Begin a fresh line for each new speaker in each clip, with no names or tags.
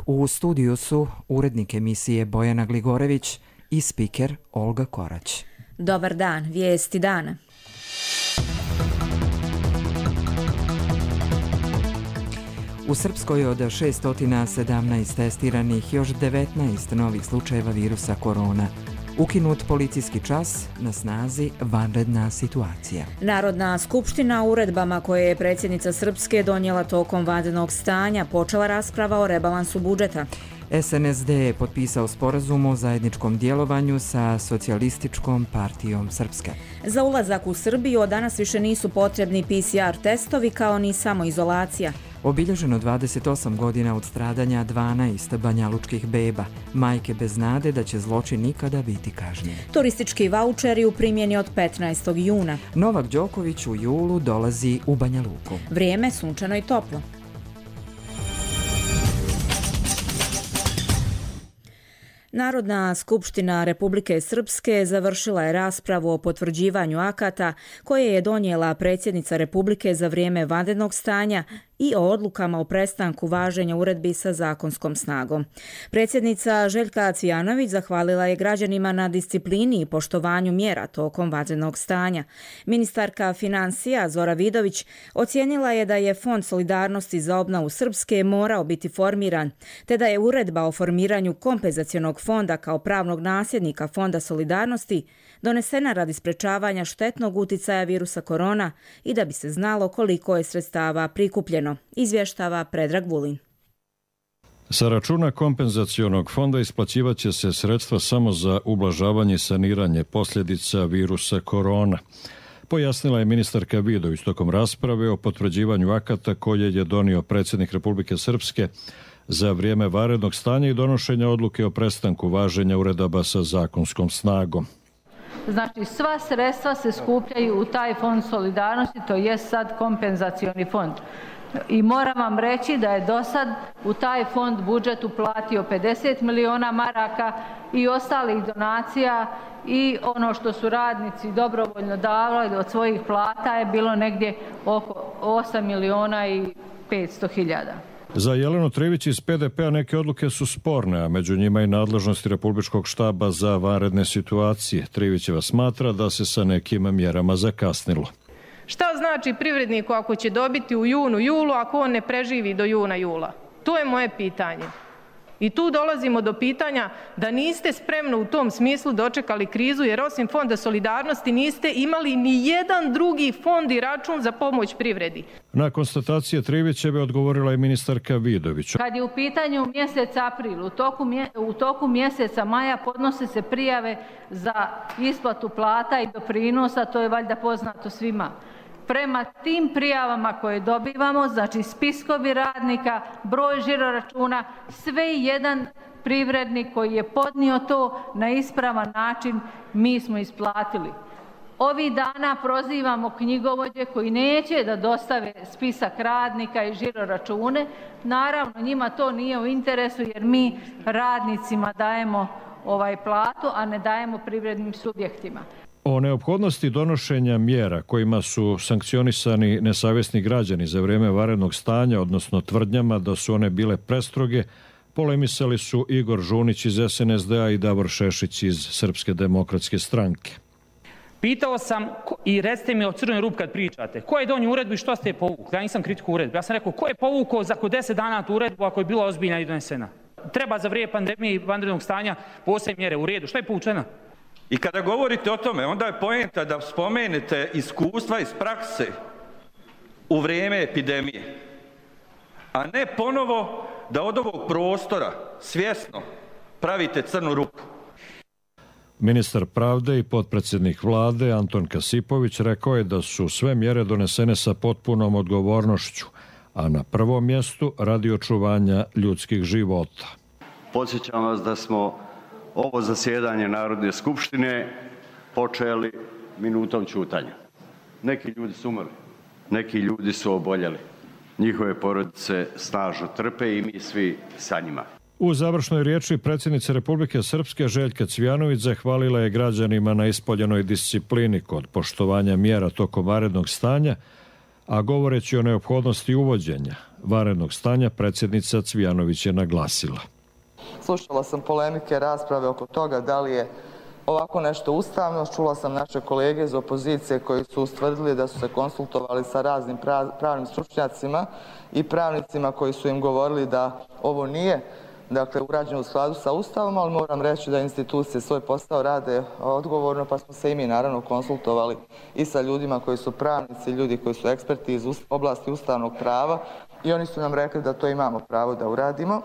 U studiju su urednik emisije Bojana Gligorević i spiker Olga Korać.
Dobar dan, vijesti dana.
U Srpskoj od 617 testiranih još 19 novih slučajeva virusa korona. Ukinut policijski čas, na snazi vanredna situacija.
Narodna skupština uredbama koje je predsjednica Srpske donijela tokom vanrednog stanja počela rasprava o rebalansu budžeta.
SNSD je potpisao sporazum o zajedničkom djelovanju sa Socijalističkom partijom Srpske.
Za ulazak u Srbiju od danas više nisu potrebni PCR testovi kao ni samoizolacija.
Obilježeno 28 godina od stradanja 12 banjalučkih beba, majke bez nade da će zločin nikada biti kažnjen.
Turistički vaučeri u primjeni od 15. juna.
Novak Đoković u julu dolazi u Banja Luku.
Vrijeme sunčano i toplo. Narodna skupština Republike Srpske završila je raspravu o potvrđivanju akata koje je donijela predsjednica Republike za vrijeme vanrednog stanja i o odlukama o prestanku važenja uredbi sa zakonskom snagom. Predsjednica Željka Cvijanović zahvalila je građanima na disciplini i poštovanju mjera tokom vanrednog stanja. Ministarka financija Zora Vidović ocijenila je da je Fond solidarnosti za obnovu Srpske morao biti formiran, te da je uredba o formiranju kompenzacionog fonda kao pravnog nasljednika Fonda solidarnosti donesena radi sprečavanja štetnog uticaja virusa korona i da bi se znalo koliko je sredstava prikupljeno, izvještava Predrag Vulin.
Sa računa kompenzacionog fonda isplaćivaće se sredstva samo za ublažavanje i saniranje posljedica virusa korona. Pojasnila je ministarka Vidović tokom rasprave o potvrđivanju akata koje je donio predsjednik Republike Srpske za vrijeme vanrednog stanja i donošenja odluke o prestanku važenja uredaba sa zakonskom snagom.
Znači, sva sredstva se skupljaju u taj fond solidarnosti, to je sad kompenzacioni fond. I moram vam reći da je do sad u taj fond budžet uplatio 50 miliona maraka i ostalih donacija i ono što su radnici dobrovoljno davali od svojih plata je bilo negdje oko 8 miliona i 500 hiljada.
Za Jelenu Trivić iz PDP-a neke odluke su sporne, a među njima i nadležnosti Republičkog štaba za vanredne situacije. Trivićeva smatra da se sa nekim mjerama zakasnilo.
Šta znači privredniku ako će dobiti u junu, julu, ako on ne preživi do juna, jula? To je moje pitanje. I tu dolazimo do pitanja da niste spremno u tom smislu dočekali krizu, jer osim Fonda solidarnosti niste imali ni jedan drugi fond i račun za pomoć privredi.
Na konstatacije Trivićeve odgovorila je ministarka Vidović.
Kad je u pitanju mjesec april, u toku mjeseca maja podnose se prijave za isplatu plata i doprinosa, to je valjda poznato svima. Prema tim prijavama koje dobivamo, znači spiskovi radnika, broj žiroračuna, sve jedan privrednik koji je podnio to na ispravan način mi smo isplatili. Ovih dana prozivamo knjigovođe koji neće da dostave spisak radnika i žiroračune. Naravno, njima to nije u interesu jer mi radnicima dajemo platu, a ne dajemo privrednim subjektima.
O neophodnosti donošenja mjera kojima su sankcionisani nesavjesni građani za vrijeme vanrednog stanja, odnosno tvrdnjama da su one bile prestroge, polemisali su Igor Žunić iz SNSD-a i Davor Šešić iz Srpske demokratske stranke.
Pitao sam i recite mi o crvenoj rupi kad pričate, ko je donio uredbu i što ste je povukli? Ja nisam kritiku uredbu. Ja sam rekao, ko je povukao za 10 dana tu uredbu ako je bila ozbiljna i donesena? Treba za vrijeme pandemije i vanrednog stanja posebne mjere u redu. Što je povučeno?
I kada govorite o tome, onda je poenta da spomenete iskustva iz prakse u vrijeme epidemije, a ne ponovo da od ovog prostora svjesno pravite crnu rupu.
Ministar pravde i potpredsjednik vlade Anton Kasipović rekao je da su sve mjere donesene sa potpunom odgovornošću, a na prvom mjestu radi očuvanja ljudskih života.
Podsjećam vas da smo ovo zasjedanje Narodne skupštine počeli minutom ćutanja. Neki ljudi su umrli, neki ljudi su oboljeli. Njihove porodice snažno trpe i mi svi sa njima.
U završnoj riječi predsjednice Republike Srpske Željka Cvijanović zahvalila je građanima na ispoljenoj disciplini kod poštovanja mjera tokom vanrednog stanja, a govoreći o neophodnosti uvođenja vanrednog stanja predsjednica Cvijanović je naglasila.
Slušala sam polemike, rasprave oko toga da li je ovako nešto ustavno. Čula sam naše kolege iz opozicije koji su ustvrdili da su se konsultovali sa raznim pravnim stručnjacima i pravnicima koji su im govorili da ovo nije urađeno u skladu sa Ustavom, ali moram reći da institucije svoj posao rade odgovorno, pa smo se i mi naravno konsultovali i sa ljudima koji su pravnici, ljudi koji su eksperti iz oblasti ustavnog prava i oni su nam rekli da to imamo pravo da uradimo.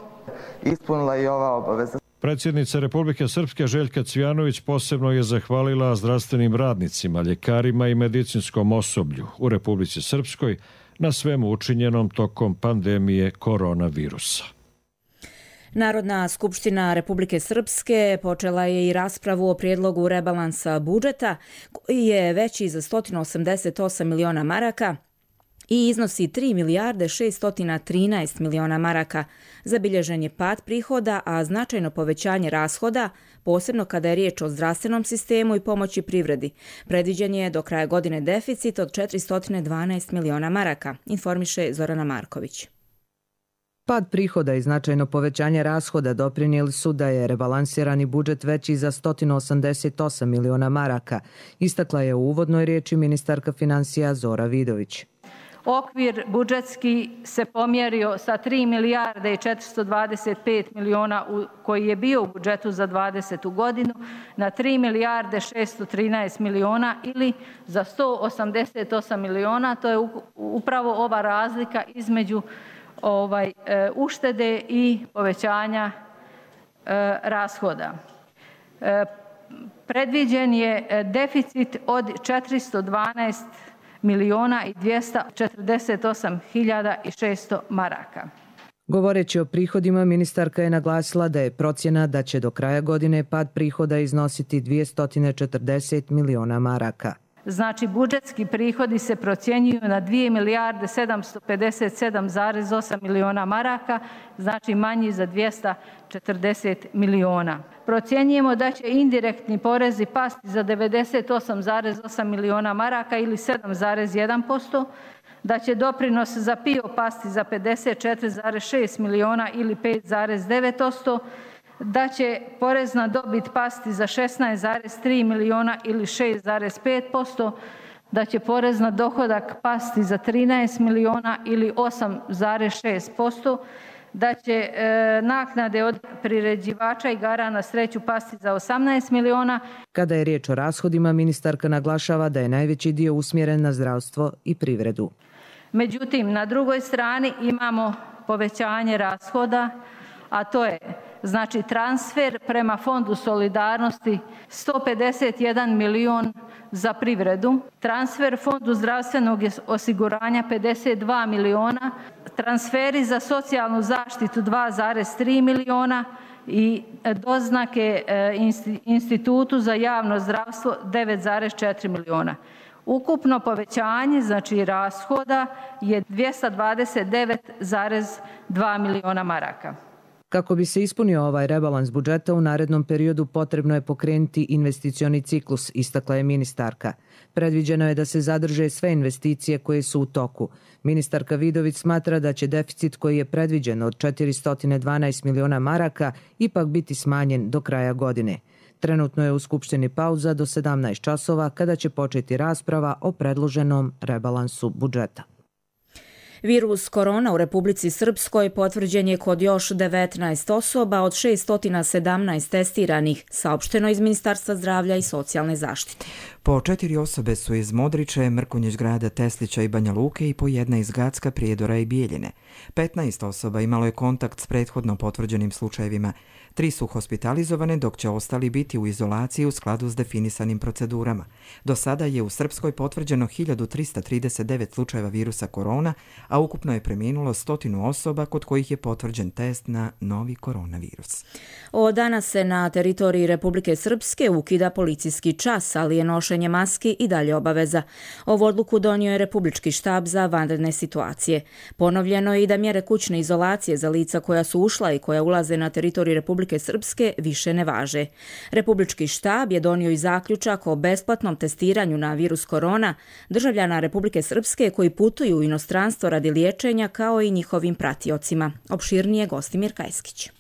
Ispunila i ova obaveza.
Predsjednica Republike Srpske Željka Cvijanović posebno je zahvalila zdravstvenim radnicima, ljekarima i medicinskom osoblju u Republici Srpskoj na svemu učinjenom tokom pandemije koronavirusa.
Narodna skupština Republike Srpske počela je i raspravu o prijedlogu rebalansa budžeta koji je veći za 188 miliona maraka i iznosi 3 milijarde 613 miliona maraka. Zabilježen je pad prihoda, a značajno povećanje rashoda, posebno kada je riječ o zdravstvenom sistemu i pomoći privredi. Predviđen je do kraja godine deficit od 412 miliona maraka, informiše Zorana Marković.
Pad prihoda i značajno povećanje rashoda doprinijeli su da je rebalansirani budžet veći za 188 miliona maraka, istakla je u uvodnoj riječi ministarka financija Zora Vidović.
Okvir budžetski se pomjerio sa 3 milijarde i 425 miliona koji je bio u budžetu za 20. godinu na 3 milijarde 613 miliona ili za 188 miliona. To je upravo ova razlika između uštede i povećanja rashoda. Predviđen je deficit od 412 miliona i 248 hiljada i 600 maraka.
Govoreći o prihodima, ministarka je naglasila da je procjena da će do kraja godine pad prihoda iznositi 240 miliona maraka.
Znači, budžetski prihodi se procjenjuju na 2 milijarde 757,8 miliona maraka, znači manji za 240 miliona. Procjenjujemo da će indirektni porezi pasti za 98,8 miliona maraka ili 7,1%, da će doprinos za PIO pasti za 54,6 miliona ili 5,9%, da će porez na dobit pasti za 16,3 miliona ili 6,5%, da će porez na dohodak pasti za 13 miliona ili 8,6%, da će naknade od priređivača igara na sreću pasti za 18 miliona.
Kada je riječ o rashodima, ministarka naglašava da je najveći dio usmjeren na zdravstvo i privredu.
Međutim, na drugoj strani imamo povećanje rashoda, a to je znači transfer prema Fondu solidarnosti 151 milion za privredu, transfer Fondu zdravstvenog osiguranja 52 miliona, transferi za socijalnu zaštitu 2,3 miliona i doznake Institutu za javno zdravstvo 9,4 miliona. Ukupno povećanje, znači rashoda, je 229,2 miliona maraka.
Kako bi se ispunio ovaj rebalans budžeta, u narednom periodu potrebno je pokrenuti investicioni ciklus, istakla je ministarka. Predviđeno je da se zadrže sve investicije koje su u toku. Ministarka Vidović smatra da će deficit koji je predviđen od 412 miliona maraka ipak biti smanjen do kraja godine. Trenutno je u Skupštini pauza do 17 časova kada će početi rasprava o predloženom rebalansu budžeta.
Virus korona u Republici Srpskoj potvrđen je kod još 19 osoba od 617 testiranih, saopšteno iz Ministarstva zdravlja i socijalne zaštite.
Po 4 osobe su iz Modriče, Mrkonjić Grada, Teslića i Banja Luke i po jedna iz Gacka, Prijedora i Bijeljine. 15 osoba imalo je kontakt s prethodno potvrđenim slučajevima. 3 su hospitalizovane, dok će ostali biti u izolaciji u skladu s definisanim procedurama. Do sada je u Srpskoj potvrđeno 1339 slučajeva virusa korona, a ukupno je preminulo 100 osoba kod kojih je potvrđen test na novi koronavirus.
Od danas se na teritoriji Republike Srpske ukida policijski čas, ali je nošenje maski i dalje obaveza. Ovu odluku donio je Republički štab za vanredne situacije. Ponovljeno je i da mjere kućne izolacije za lica koja su ušla i koja ulaze na teritoriju Republike Republike Srpske više ne važe. Republički štab je donio i zaključak o besplatnom testiranju na virus korona državljana Republike Srpske koji putuju u inostranstvo radi liječenja kao i njihovim pratiocima. Opširnije Gostimir Kajskić.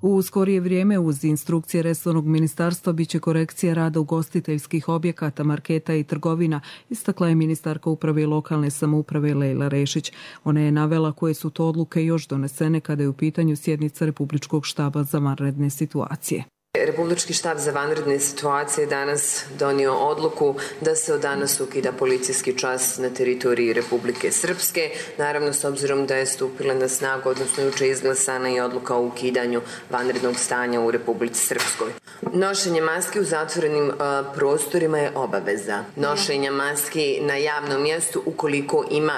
U skorije vrijeme uz instrukcije resornog ministarstva biće korekcija rada ugostiteljskih objekata, marketa i trgovina, istakla je ministarka uprave i lokalne samouprave Lejla Rešić. Ona je navela koje su to odluke još donesene kada je u pitanju sjednica Republičkog štaba za vanredne situacije.
Republički štab za vanredne situacije danas donio odluku da se od danas ukida policijski čas na teritoriji Republike Srpske. Naravno, s obzirom da je stupila na snagu, odnosno juče izglasana i odluka o ukidanju vanrednog stanja u Republici Srpskoj. Nošenje maski u zatvorenim prostorima je obaveza. Nošenje maski na javnom mjestu ukoliko ima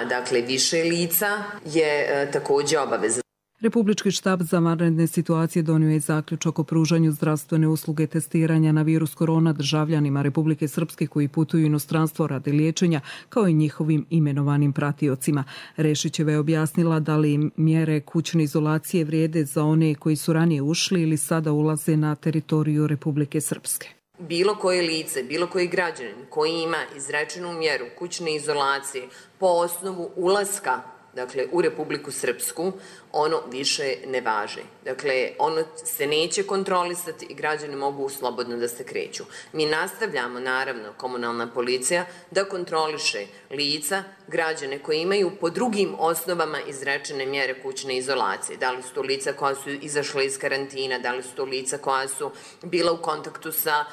više lica je također obaveza.
Republički štab za vanredne situacije donio je zaključak o pružanju zdravstvene usluge testiranja na virus korona državljanima Republike Srpske koji putuju u inostranstvo radi liječenja, kao i njihovim imenovanim pratiocima. Rešićeva je objasnila da li mjere kućne izolacije vrijede za one koji su ranije ušli ili sada ulaze na teritoriju Republike Srpske.
Bilo koje lice, bilo koji građanin koji ima izrečenu mjeru kućne izolacije po osnovu ulaska u Republiku Srpsku, ono više ne važe. Ono se neće kontrolisati i građani mogu slobodno da se kreću. Mi nastavljamo, naravno, komunalna policija da kontroliše lica, građane koji imaju po drugim osnovama izrečene mjere kućne izolacije. Da li su to lica koja su izašla iz karantina, da li su to lica koja su bila u kontaktu sa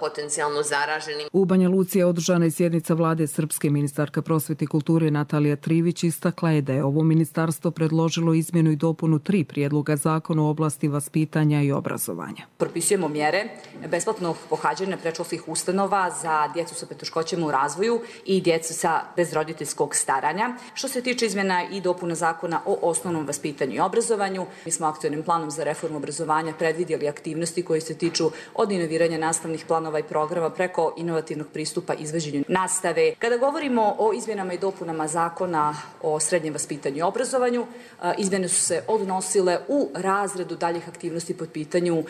potencijalno zaraženim.
U Banja Luci je održana i sjednica vlade Srpske. Ministarka prosvete i kulture Natalija Trivić istakla je da je ovo ministarstvo predložilo izmjenu i dopunu 3 prijedloga zakona u oblasti vaspitanja i obrazovanja.
Propisujemo mjere besplatnog pohađanja predškolskih ustanova za djecu sa poteškoćama u razvoju i djecu bez roditeljskog staranja. Što se tiče izmjena i dopuna zakona o osnovnom vaspitanju i obrazovanju, mi smo aktualnim planom za reformu obrazovanja predvidjeli aktivnosti koje se tiču od inoviranja nastavnih planova i programa preko inovativnog pristupa izvođenju nastave. Kada govorimo o izmjenama i dopunama zakona o srednjem vaspitanju i obrazovanju, izmjene su se odnosile u razredu daljih aktivnosti pod pitanju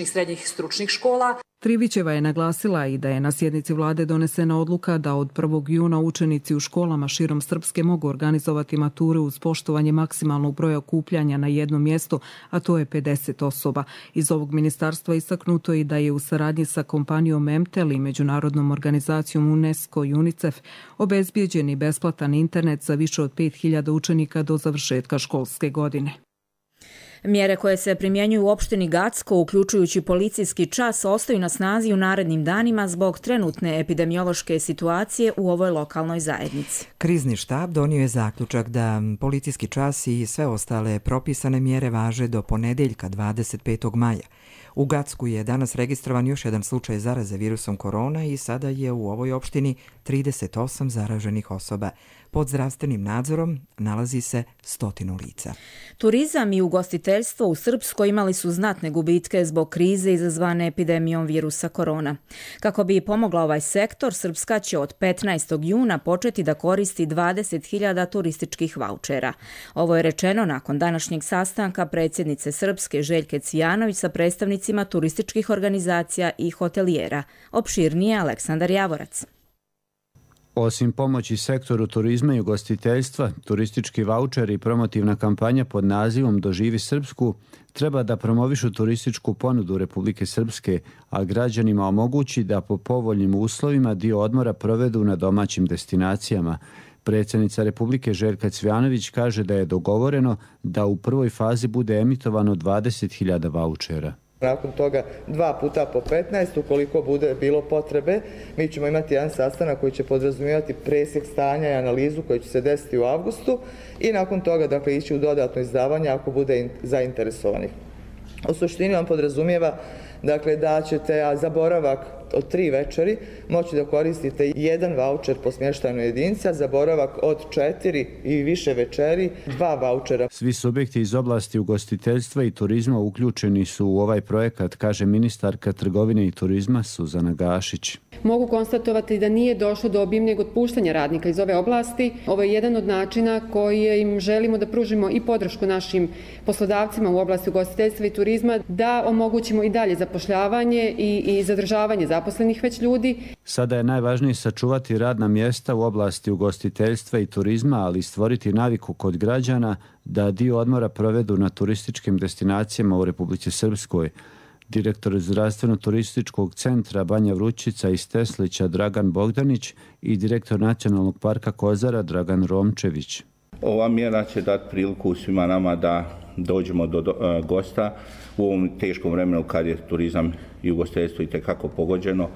srednjih stručnih škola.
Trivićeva je naglasila i da je na sjednici vlade donesena odluka da od 1. juna učenici u školama širom Srpske mogu organizovati mature uz poštovanje maksimalnog broja okupljanja na jednom mjestu, a to je 50 osoba. Iz ovog ministarstva istaknuto i da je u saradnji sa kompanijom Emtel i međunarodnom organizacijom UNESCO i UNICEF obezbijeđen i besplatan internet za više od 5000 učenika do završetka školske godine.
Mjere koje se primjenjuju u opštini Gacko, uključujući policijski čas, ostaju na snazi u narednim danima zbog trenutne epidemiološke situacije u ovoj lokalnoj zajednici.
Krizni štab donio je zaključak da policijski čas i sve ostale propisane mjere važe do ponedeljka 25. maja. U Gacku je danas registrovan još jedan slučaj zaraze virusom korona i sada je u ovoj opštini 38 zaraženih osoba. Pod zdravstvenim nadzorom nalazi se 100 lica.
Turizam i ugostiteljstvo u Srpskoj imali su znatne gubitke zbog krize izazvane epidemijom virusa korona. Kako bi pomogla ovaj sektor, Srpska će od 15. juna početi da koristi 20.000 turističkih vaučera. Ovo je rečeno nakon današnjeg sastanka predsjednice Srpske Željke Cvijanović sa predstavnicima turističkih organizacija i hotelijera. Opširnije Aleksandar Javorac.
Osim pomoći sektoru turizma i ugostiteljstva, turistički vaučer i promotivna kampanja pod nazivom Doživi Srpsku treba da promovišu turističku ponudu Republike Srpske, a građanima omogući da po povoljnim uslovima dio odmora provedu na domaćim destinacijama. Predsjednica Republike Željka Cvijanović kaže da je dogovoreno da u prvoj fazi bude emitovano 20.000 vaučera.
Nakon toga 2 puta po 15, ukoliko bude bilo potrebe, mi ćemo imati jedan sastanak koji će podrazumijevati presjek stanja i analizu koji će se desiti u avgustu i nakon toga ići u dodatno izdavanje ako bude zainteresovanih. U suštini on podrazumijeva da ćete za boravak od 3 večeri moći da koristite 1 vaučer po smještajnoj jedinici, za boravak od 4 i više večeri 2 vaučera.
Svi subjekti iz oblasti ugostiteljstva i turizma uključeni su u ovaj projekat, kaže ministarka trgovine i turizma Suzana Gašić.
Mogu konstatovati da nije došlo do obimnijeg otpuštanja radnika iz ove oblasti. Ovo je jedan od načina koji im želimo da pružimo i podršku našim poslodavcima u oblasti ugostiteljstva i turizma, da omogućimo i dalje zapošljavanje i zadržavanje zaposlenih već ljudi.
Sada je najvažnije sačuvati radna mjesta u oblasti ugostiteljstva i turizma, ali i stvoriti naviku kod građana da dio odmora provedu na turističkim destinacijama u Republici Srpskoj. Direktor zdravstveno-turističkog centra Banja Vrućica iz Teslića Dragan Bogdanić i direktor Nacionalnog parka Kozara Dragan Romčević.
Ova mjera će dati priliku svima nama da dođemo do gosta u ovom teškom vremenu kad je turizam i ugostiteljstvo itekako pogođeno,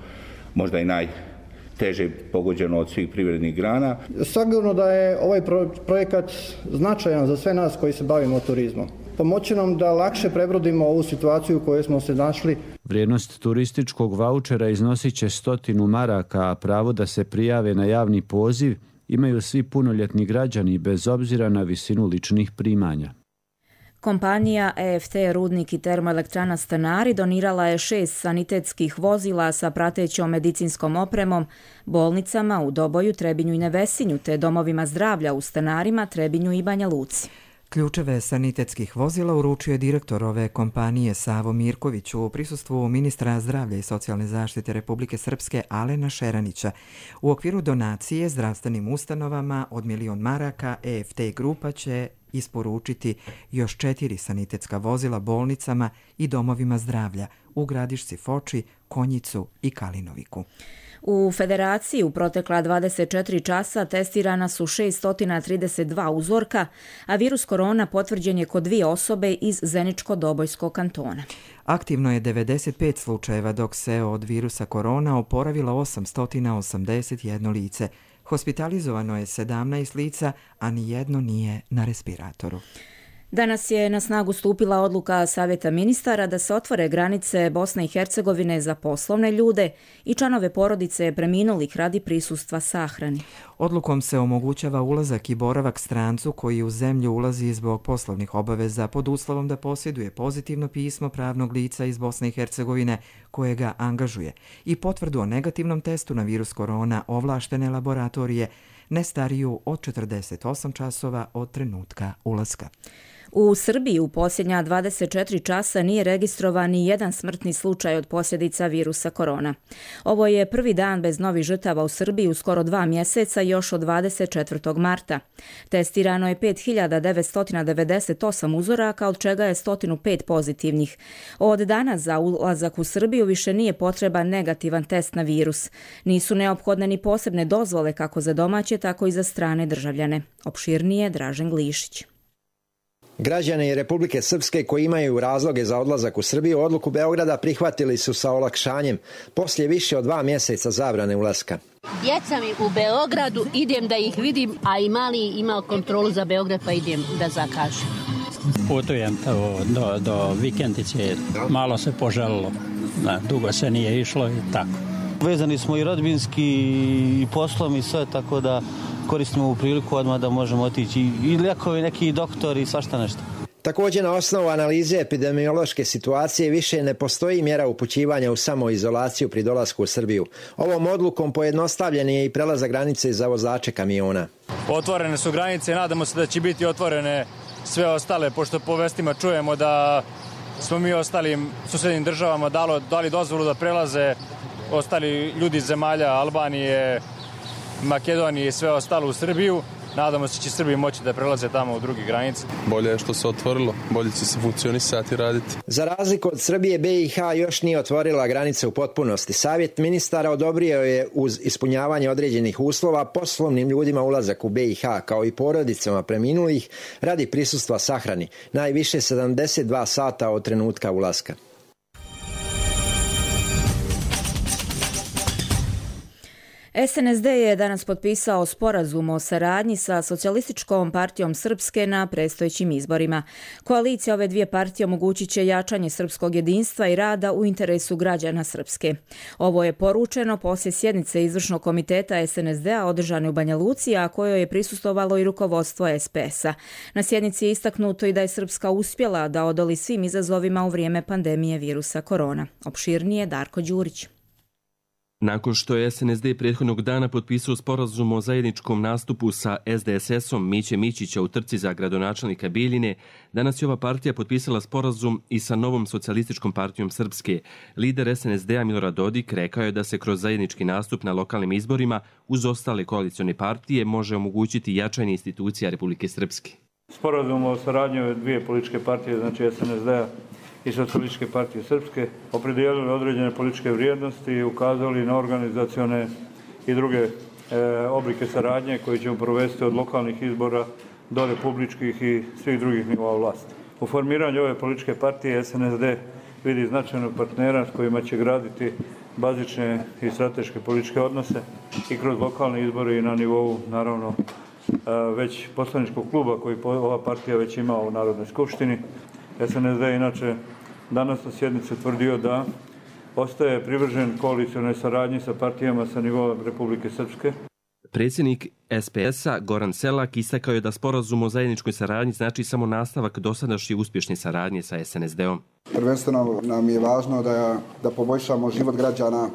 možda i najteže pogođeno od svih privrednih grana.
Sigurno da je ovaj projekat značajan za sve nas koji se bavimo turizmom. Pomoći nam da lakše prebrodimo ovu situaciju u kojoj smo se našli.
Vrijednost turističkog vaučera iznosit će 100 maraka, a pravo da se prijave na javni poziv imaju svi punoljetni građani bez obzira na visinu ličnih primanja.
Kompanija EFT Rudnik i termoelektrana Stanari donirala je 6 sanitetskih vozila sa pratećom medicinskom opremom bolnicama u Doboju, Trebinju i Nevesinju, te domovima zdravlja u Stanarima, Trebinju i Banja Luci.
Ključeve sanitetskih vozila uručio je direktor ove kompanije Savo Mirković u prisustvu ministra zdravlja i socijalne zaštite Republike Srpske Alena Šeranića. U okviru donacije zdravstvenim ustanovama od 1.000.000 maraka EFT grupa će isporučiti još 4 sanitetska vozila bolnicama i domovima zdravlja u Gradišci, Foči, Konjicu i Kalinoviku.
U Federaciji u protekla 24 časa testirana su 632 uzorka, a virus korona potvrđen je kod 2 osobe iz Zeničko-Dobojskog kantona.
Aktivno je 95 slučajeva, dok se od virusa korona oporavilo 881 lice. Hospitalizovano je 17 lica, a nijedno nije na respiratoru.
Danas je na snagu stupila odluka Savjeta ministara da se otvore granice Bosne i Hercegovine za poslovne ljude i članove porodice preminulih radi prisustva sahrani.
Odlukom se omogućava ulazak i boravak strancu koji u zemlju ulazi zbog poslovnih obaveza pod uslovom da posjeduje pozitivno pismo pravnog lica iz Bosne i Hercegovine koje ga angažuje i potvrdu o negativnom testu na virus korona ovlaštene laboratorije ne stariju od 48 časova od trenutka ulaska.
U Srbiji u posljednja 24 časa nije registrovan ni jedan smrtni slučaj od posljedica virusa korona. Ovo je prvi dan bez novih žrtava u Srbiji u skoro 2 mjeseca još od 24. marta. Testirano je 5.998 uzoraka, od čega je 105 pozitivnih. Od danas za ulazak u Srbiju više nije potreban negativan test na virus. Nisu neophodne ni posebne dozvole kako za domaće, tako i za strane državljane. Opširnije Dražen Glišić.
Građani Republike Srpske koji imaju razloge za odlazak u Srbiju odluku Beograda prihvatili su sa olakšanjem poslije više od 2 mjeseca zabrane ulaska.
Djeca mi u Beogradu, idem da ih vidim, a i mali ima kontrolu za Beograd pa idem da zakažem.
Putujem do vikendice, malo se poželilo, dugo se nije išlo i tako.
Vezani smo i rodbinski i poslom i sve, tako da koristimo ovu priliku odmah da možemo otići i lijekovi, neki doktori i svašta nešto.
Također na osnovu analize epidemiološke situacije više ne postoji mjera upućivanja u samoizolaciju pri dolasku u Srbiju. Ovom odlukom pojednostavljen je i prelazak granice za vozače kamiona.
Otvorene su granice, nadamo se da će biti otvorene sve ostale, pošto po vestima čujemo da smo mi ostalim susjednim državama dali dozvolu da prelaze ostali ljudi iz zemalja Albanije, Makedonije i sve ostalo u Srbiju. Nadamo se da će Srbiji moći da prelaze tamo u druge granice.
Bolje je što se otvorilo, bolje će se funkcionisati i raditi.
Za razliku od Srbije, BiH još nije otvorila granice u potpunosti. Savjet ministara odobrio je uz ispunjavanje određenih uslova poslovnim ljudima ulazak u BiH kao i porodicama preminulih radi prisustva sahrani, najviše 72 sata od trenutka ulaska.
SNSD je danas potpisao sporazum o saradnji sa Socijalističkom partijom Srpske na predstojećim izborima. Koalicija ove dvije partije omogućit će jačanje srpskog jedinstva i rada u interesu građana Srpske. Ovo je poručeno poslije sjednice izvršnog komiteta SNSD-a održane u Banja Luci, a kojoj je prisustvovalo i rukovodstvo SPS-a. Na sjednici je istaknuto i da je Srpska uspjela da odoli svim izazovima u vrijeme pandemije virusa korona. Opširnije Darko Đurić.
Nakon što je SNSD prethodnog dana potpisao sporazum o zajedničkom nastupu sa SDSS-om Miće Mićića u trci za gradonačelnika Bijeljine, danas je ova partija potpisala sporazum i sa novom Socijalističkom partijom Srpske. Lider SNSD-a Milorad Dodik rekao je da se kroz zajednički nastup na lokalnim izborima uz ostale koalicione partije može omogućiti jačanje institucija Republike Srpske.
Sporazum o saradnji ove dvije političke partije, znači SNSD-a i Socijalističke partije Srpske, opredijelili određene političke vrijednosti i ukazali na organizacione i druge oblike saradnje koje ćemo provesti od lokalnih izbora do republičkih i svih drugih nivoa vlasti. U formiranju ove političke partije SNSD vidi značajnog partnera s kojima će graditi bazične i strateške političke odnose i kroz lokalne izbore i na nivou, naravno, već poslaničkog kluba koji ova partija već ima u Narodnoj skupštini. SNSD inače danas na sjednici tvrdio da ostaje privržen koalicionoj saradnji sa partijama sa nivoa Republike Srpske.
Predsjednik SPS-a Goran Selak istakao je da sporazum o zajedničkoj saradnji znači samo nastavak dosadašnje uspješne saradnje sa SNSD-om.
Prvenstveno nam je važno da poboljšamo život građana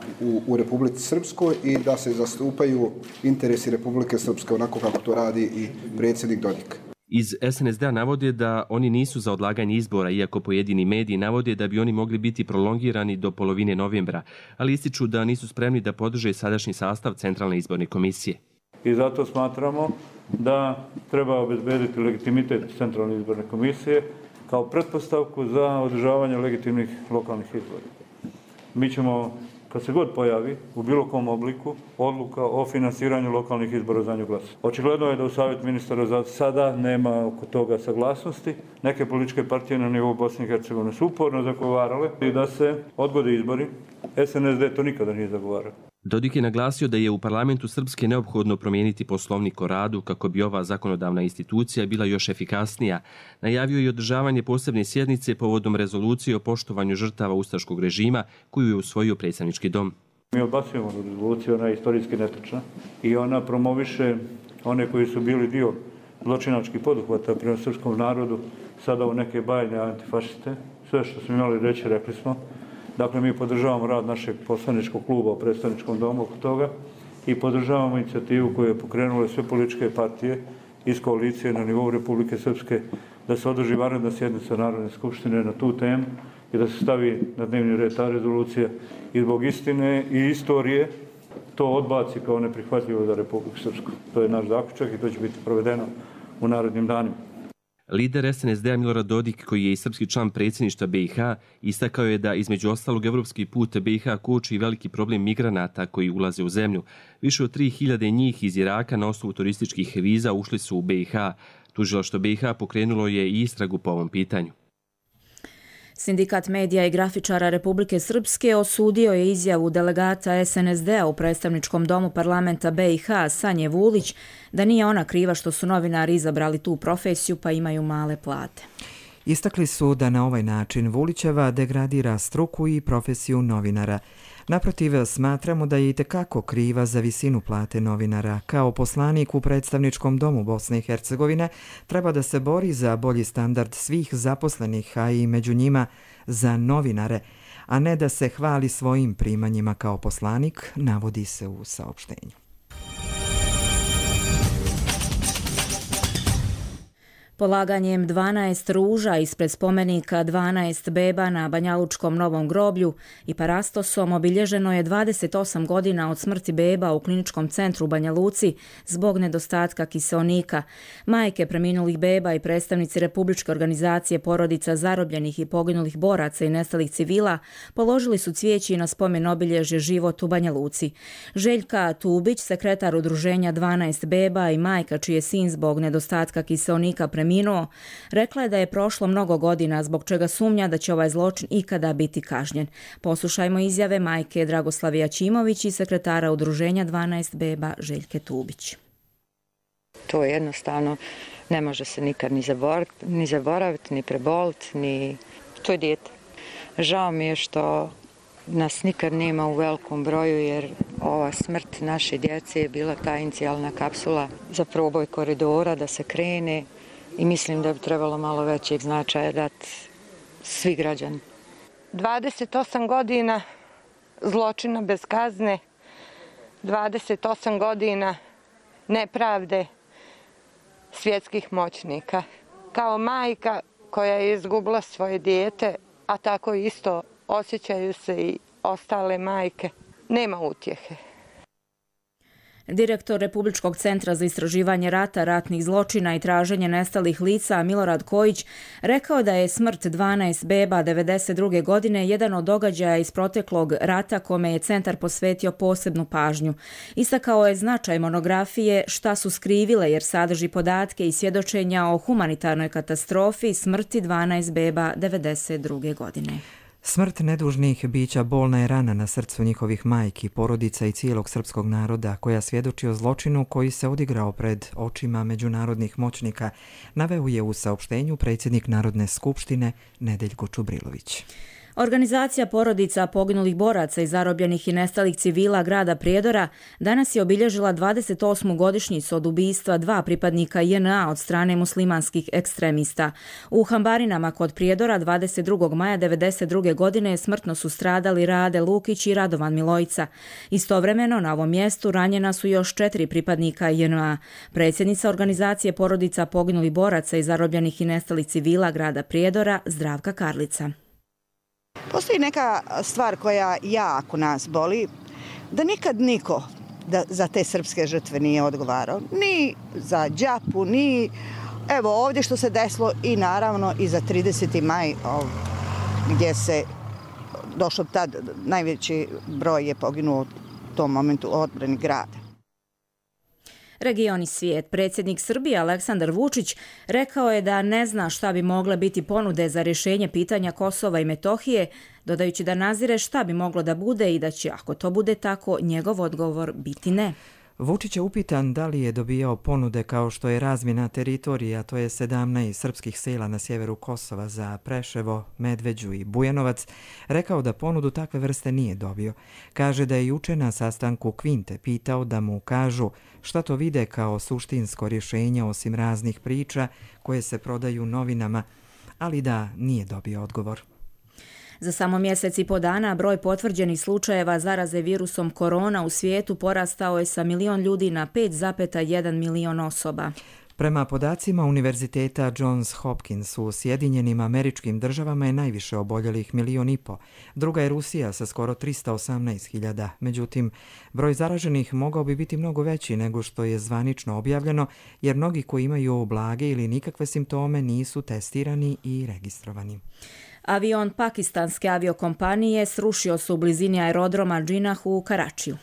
u Republici Srpskoj i da se zastupaju interesi Republike Srpske onako kako to radi i predsjednik Dodik.
Iz SNSD-a navode da oni nisu za odlaganje izbora, iako pojedini mediji navode da bi oni mogli biti prolongirani do polovine novembra, ali ističu da nisu spremni da podrže sadašnji sastav Centralne izborne komisije.
I zato smatramo da treba obezbediti legitimitet Centralne izborne komisije kao pretpostavku za održavanje legitimnih lokalnih izbora. Mi ćemo, kad se god pojavi u bilo kom obliku odluka o finansiranju lokalnih izbora za nju glasati. Očigledno je da u Savjet ministara za sada nema oko toga saglasnosti. Neke političke partije na nivou Bosne i Hercegovine su uporno zagovarale i da se odgode izbori. SNSD to nikada nije zagovarao.
Dodik je naglasio da je u parlamentu Srpske neophodno promijeniti poslovnik o radu kako bi ova zakonodavna institucija bila još efikasnija. Najavio je održavanje posebne sjednice povodom rezolucije o poštovanju žrtava ustaškog režima koju je usvojio predstavnički dom.
Mi odbacujemo rezoluciju, ona je istorijski netočna i ona promoviše one koji su bili dio zločinačkih poduhvata prema srpskom narodu, sada u neke bajne antifašiste. Sve što smo imali reći, rekli smo. Dakle, mi podržavamo rad našeg poslaničkog kluba u predstavničkom domu oko toga i podržavamo inicijativu koju je pokrenule sve političke partije iz koalicije na nivou Republike Srpske da se održi vanredna sjednica Narodne skupštine na tu temu i da se stavi na dnevni red ta rezolucija i zbog istine i istorije to odbaci kao neprihvatljivo za Republiku Srpsku. To je naš zaključak i to će biti provedeno u narednim danima.
Lider SNSD-a Milorad Dodik, koji je i srpski član predsjedništva BiH, istakao je da između ostalog evropski put BiH koči veliki problem migranata koji ulaze u zemlju. Više od 3000 njih iz Iraka na osnovu turističkih viza ušli su u BiH. Tužilaštvo BiH pokrenulo je i istragu po ovom pitanju.
Sindikat medija i grafičara Republike Srpske osudio je izjavu delegata SNSD-a u predstavničkom domu parlamenta BiH Sanje Vulić da nije ona kriva što su novinari izabrali tu profesiju pa imaju male plate.
Istakli su da na ovaj način Vulićeva degradira struku i profesiju novinara. Naprotiv, smatramo da je itekako kriva za visinu plate novinara. Kao poslanik u predstavničkom domu Bosne i Hercegovine treba da se bori za bolji standard svih zaposlenih, a i među njima za novinare, a ne da se hvali svojim primanjima kao poslanik, navodi se u saopštenju.
Polaganjem 12 ruža ispred spomenika 12 beba na Banjalučkom Novom groblju i parastosom obilježeno je 28 godina od smrti beba u kliničkom centru u Banja Luci zbog nedostatka kiseonika. Majke preminulih beba i predstavnici Republičke organizacije porodica zarobljenih i poginulih boraca i nestalih civila položili su cvijeći na spomen obilježje Život u Banja Luci. Željka Tubić, sekretar udruženja 12 beba i majka čiji je sin zbog nedostatka kiseonika preminuo preminuo, rekla je da je prošlo mnogo godina, zbog čega sumnja da će ovaj zločin ikada biti kažnjen. Poslušajmo izjave majke Dragoslave Jačimović i sekretara udruženja 12 beba Željke Tubić.
To jednostavno ne može se nikad ni zaboraviti, ni preboliti, ni... To je dijete. Žao mi je što nas nikad nema u velikom broju, jer ova smrt naše djece je bila ta inicijalna kapsula za proboj koridora da se krene i mislim da bi trebalo malo većeg značaja dati svi građani.
28 godina zločina bez kazne, 28 godina nepravde svjetskih moćnika. Kao majka koja je izgubila svoje dijete, a tako isto osjećaju se i ostale majke, nema utjehe.
Direktor Republičkog centra za istraživanje rata, ratnih zločina i traženje nestalih lica Milorad Kojić rekao da je smrt 12 beba 1992. godine jedan od događaja iz proteklog rata kome je centar posvetio posebnu pažnju. Istakao je značaj monografije Šta su skrivile, jer sadrži podatke i svjedočenja o humanitarnoj katastrofi smrti 12 beba 1992. godine.
Smrt nedužnih bića bolna je rana na srcu njihovih majki, porodica i cijelog srpskog naroda, koja svjedoči o zločinu koji se odigrao pred očima međunarodnih moćnika, naveo je u saopštenju predsjednik Narodne skupštine Nedeljko Čubrilović.
Organizacija porodica poginulih boraca i zarobljenih i nestalih civila grada Prijedora danas je obilježila 28. godišnjicu od ubistva 2 pripadnika JNA od strane muslimanskih ekstremista. U Hambarinama kod Prijedora 22. maja 1992. godine smrtno su stradali Rade Lukić i Radovan Milojica. Istovremeno na ovom mjestu ranjena su još 4 pripadnika JNA. Predsjednica organizacije porodica poginulih boraca i zarobljenih i nestalih civila grada Prijedora Zdravka Karlica.
Postoji neka stvar koja jako nas boli, da nikad niko za te srpske žrtve nije odgovarao. Ni za Đapu, ni evo ovdje što se desilo i naravno i za 30. maj gdje se došlo tad, najveći broj je poginuo u tom momentu u odbrani grada.
Region i svijet. Predsjednik Srbije Aleksandar Vučić rekao je da ne zna šta bi mogle biti ponude za rješenje pitanja Kosova i Metohije, dodajući da nazire šta bi moglo da bude i da će, ako to bude tako, njegov odgovor biti ne.
Vučić je upitan da li je dobijao ponude kao što je razmjena teritorija, to je 17 srpskih sela na sjeveru Kosova za Preševo, Medveđu i Bujanovac, rekao da ponudu takve vrste nije dobio. Kaže da je juče na sastanku Kvinte pitao da mu kažu šta to vide kao suštinsko rješenje osim raznih priča koje se prodaju novinama, ali da nije dobio odgovor.
Za samo mjesec i po dana broj potvrđenih slučajeva zaraze virusom korona u svijetu porastao je sa 1 milion ljudi na 5,1 milion osoba.
Prema podacima Univerziteta Johns Hopkins u Sjedinjenim Američkim Državama je najviše oboljelih 1,5 miliona. Druga je Rusija sa skoro 318.000. Međutim, broj zaraženih mogao bi biti mnogo veći nego što je zvanično objavljeno, jer mnogi koji imaju blage ili nikakve simptome nisu testirani i registrovani.
Avion pakistanske aviokompanije srušio se u blizini aerodroma Džinah u Karačiju.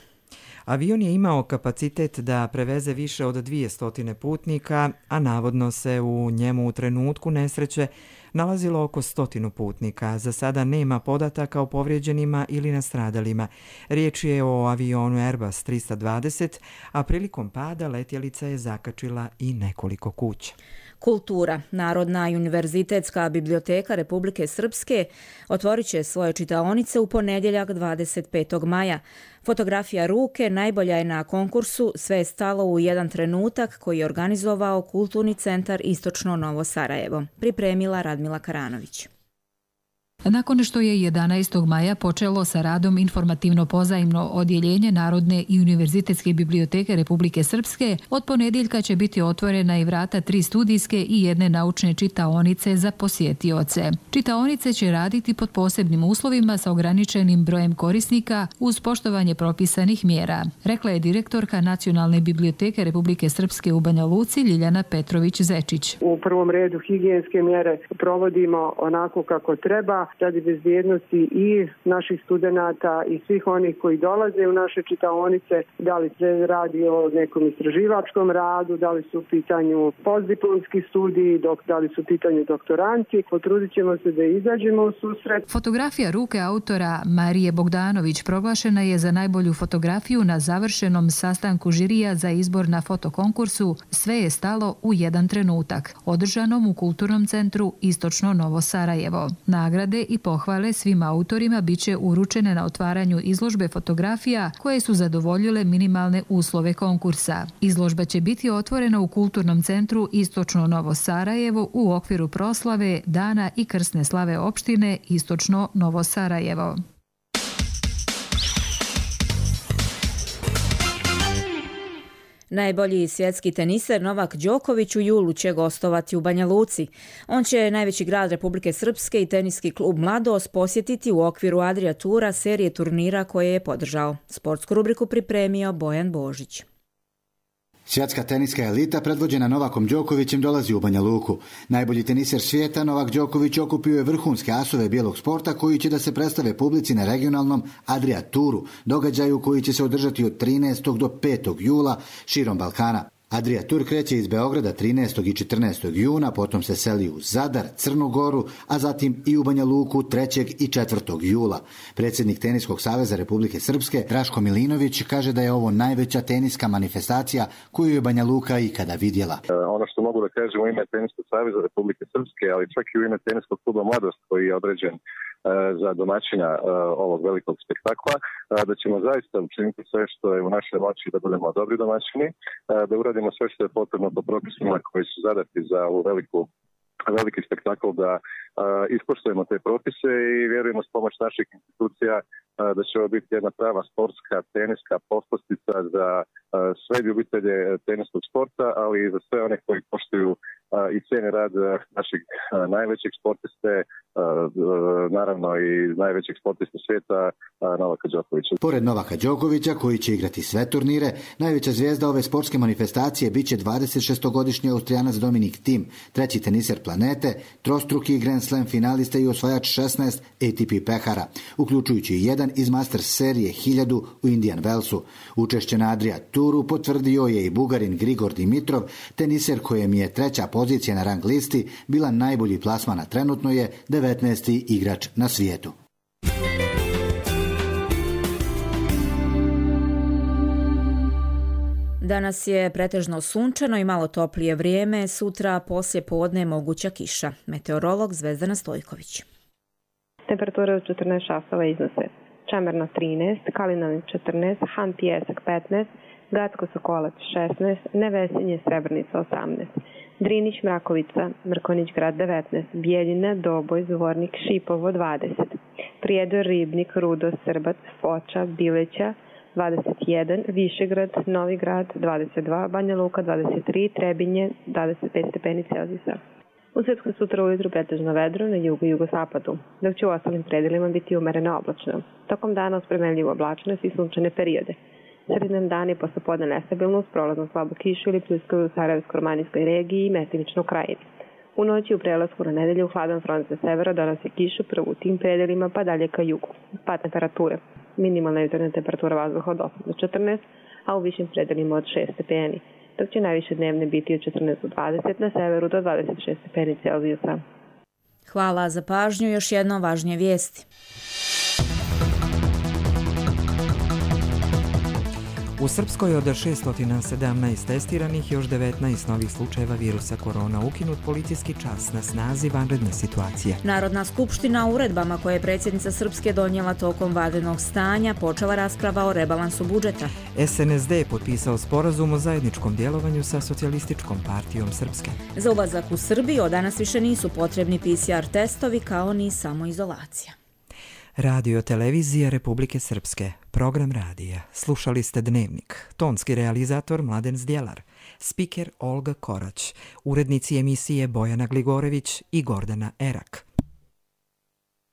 Avion je imao kapacitet da preveze više od 200 putnika, a navodno se u njemu u trenutku nesreće nalazilo oko 100 putnika. Za sada nema podataka o povrijeđenima ili nastradalima. Riječ je o avionu Airbus 320, a prilikom pada letjelica je zakačila i nekoliko kuća.
Kultura. Narodna i univerzitetska biblioteka Republike Srpske otvorit će svoje čitaonice u ponedjeljak 25. maja. Fotografija ruke najbolja je na konkursu Sve je stalo u jedan trenutak koji je organizovao Kulturni centar Istočno Novo Sarajevo. Pripremila Radmila Karanović.
Nakon što je 11. maja počelo sa radom informativno pozajmno odjeljenje Narodne i univerzitetske biblioteke Republike Srpske, od ponedjeljka će biti otvorena i vrata 3 studijske i 1 naučne čitaonice za posjetioce. Čitaonice će raditi pod posebnim uslovima sa ograničenim brojem korisnika uz poštovanje propisanih mjera, rekla je direktorka Nacionalne biblioteke Republike Srpske u Banja Luci Ljiljana Petrović-Zečić.
U prvom redu higijenske mjere provodimo onako kako treba.
radi bezbjednosti i naših studenata i svih onih koji dolaze u naše čitaonice, da li se radi o nekom istraživačkom radu, da li su u pitanju postdiplomski studiji, da li su u pitanju doktoranti. Potrudit ćemo se da izađemo u susret.
Fotografija ruke autora Marije Bogdanović proglašena je za najbolju fotografiju na završenom sastanku žirija za izbor na fotokonkursu Sve je stalo u jedan trenutak, održanom u Kulturnom centru Istočno Novo Sarajevo. Nagrade i pohvale svim autorima biće uručene na otvaranju izložbe fotografija koje su zadovoljile minimalne uslove konkursa. Izložba će biti otvorena u Kulturnom centru Istočno Novo Sarajevo u okviru proslave Dana i krsne slave opštine Istočno Novo Sarajevo.
Najbolji svjetski teniser Novak Đoković u julu će gostovati u Banja Luci. On će najveći grad Republike Srpske i teniski klub Mladost posjetiti u okviru Adria Tura, serije turnira koje je podržao. Sportsku rubriku pripremio Bojan Božić.
Svjetska teniska elita predvođena Novakom Đokovićem dolazi u Banja Luku. Najbolji teniser svijeta Novak Đoković okupio je vrhunske asove bijelog sporta koji će da se predstave publici na regionalnom Adria Turu, događaju koji će se održati od 13. do 5. jula širom Balkana. Adria Tur kreće iz Beograda 13. i 14. juna, potom se seli u Zadar, Crnu Goru, a zatim i u Banja Luku 3. i 4. jula. Predsjednik Teniskog saveza Republike Srpske, Draško Milinović, kaže da je ovo najveća teniska manifestacija koju je Banja Luka ikada vidjela.
Ono što mogu da kažem u ime Teniskog saveza Republike Srpske, ali čak i u ime Teniskog kluba Mladost koji je određen za domaćinja ovog velikog spektakla, da ćemo zaista učiniti sve što je u našoj moći da budemo dobri domaćini, da uradimo sve što je potrebno po propisima koji su zadati za ovu veliki spektakl, da ispoštujemo te propise i vjerujemo s pomoć naših institucija da će ovo biti jedna prava sportska, teniska poslastica za sve ljubitelje teniskog sporta, ali i za sve one koji poštuju i cijene rad našeg najvećeg sportiste, naravno i najvećeg sportista svijeta Novaka Đokovića.
Pored Novaka Đokovića, koji će igrati sve turnire, najveća zvijezda ove sportske manifestacije biće 26-godišnji Austrijanac Dominik Thiem, treći teniser planete, trostruki Grand Slam finalista i osvajač 16 ATP pehara, uključujući i jedan iz Masters serije 1000 u Indian Wellsu. Učešće na Adria Turu potvrdio je i Bugarin Grigor Dimitrov, teniser kojem je treća pozicija na rang listi bila najbolji plasman, a trenutno je 19. igrač na svijetu.
Danas je pretežno sunčano i malo toplije vrijeme, sutra poslije podne moguća kiša. Meteorolog Zvezdana Stojković.
Temperature od 14 časova iznose Čemerno 13, Kalinović 14, Han Pijesak 15, Gacko Sokolac 16, Nevesinje Srebrnica 18, Drinić Mrakovica, Mrkonić grad 19, Bijeljina, Doboj, Zvornik, Šipovo 20, Prijedor, Ribnik, Rudo, Srbac, Foča, Bileća 21, Višegrad, Novi grad 22, Banja Luka 23, Trebinje 25 stepeni Celzijusa. U Srpskoj sutra ujutru pretežno vedro na jugu i jugozapadu, dok će u ostalim predelima biti umereno oblačno. Tokom dana uz premenljivu oblačnost i sunčane periode. Sredinom dana i poslepodne nestabilno uz prolaznu slabu kišu ili pljuskaju u Sarajevsko-romanijskoj regiji i mestimično u krajini. U noći u prelasku na nedelju hladan front sa severa donosi kišu prvo u tim predelima pa dalje ka jugu. Pad temperature. Minimalna jutarnja temperatura vazduha od 8 do 14, a u višim predelima od 6 stepeni, dok će najviše dnevne biti od 14 do 20, na severu do 26 stepeni Celzijusa.
Hvala za pažnju, još jedno važnije vijesti.
U Srpskoj od 617 testiranih još 19 novih slučajeva virusa korona, ukinut policijski čas, na snazi vanredna situacija.
Narodna skupština uredbama koje je predsjednica Srpske donijela tokom vanrednog stanja počela rasprava o rebalansu budžeta.
SNSD je potpisao sporazum o zajedničkom djelovanju sa Socijalističkom partijom Srpske.
Za ulazak u Srbiju od danas više nisu potrebni PCR testovi kao ni samoizolacija.
Radio televizija Republike Srpske, program radija. Slušali ste Dnevnik, tonski realizator Mladen Zdjelar, spiker Olga Korać, urednici emisije Bojana Gligorević i Gordana Erak.